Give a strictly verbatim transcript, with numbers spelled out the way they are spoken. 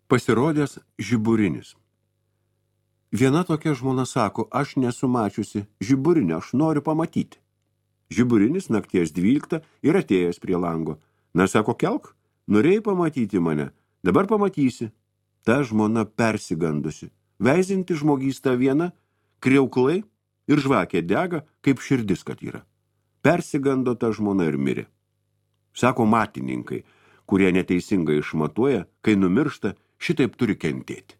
Pasirodęs žiburinis. Viena tokia žmona sako, aš nesu mačiusi žiburinio, aš noriu pamatyti. Žiburinis nakties dvyliktą ir atėjęs prie lango. Na, sako, kelk, norėjai pamatyti mane, dabar pamatysi. Ta žmona persigandusi, veizinti žmogysta viena, kriauklai ir žvakė dega, kaip širdis, kad yra. Persigando ta žmona ir mirė. Sako matininkai, kurie neteisingai išmatuoja, kai numiršta, šitaip turi kentėti.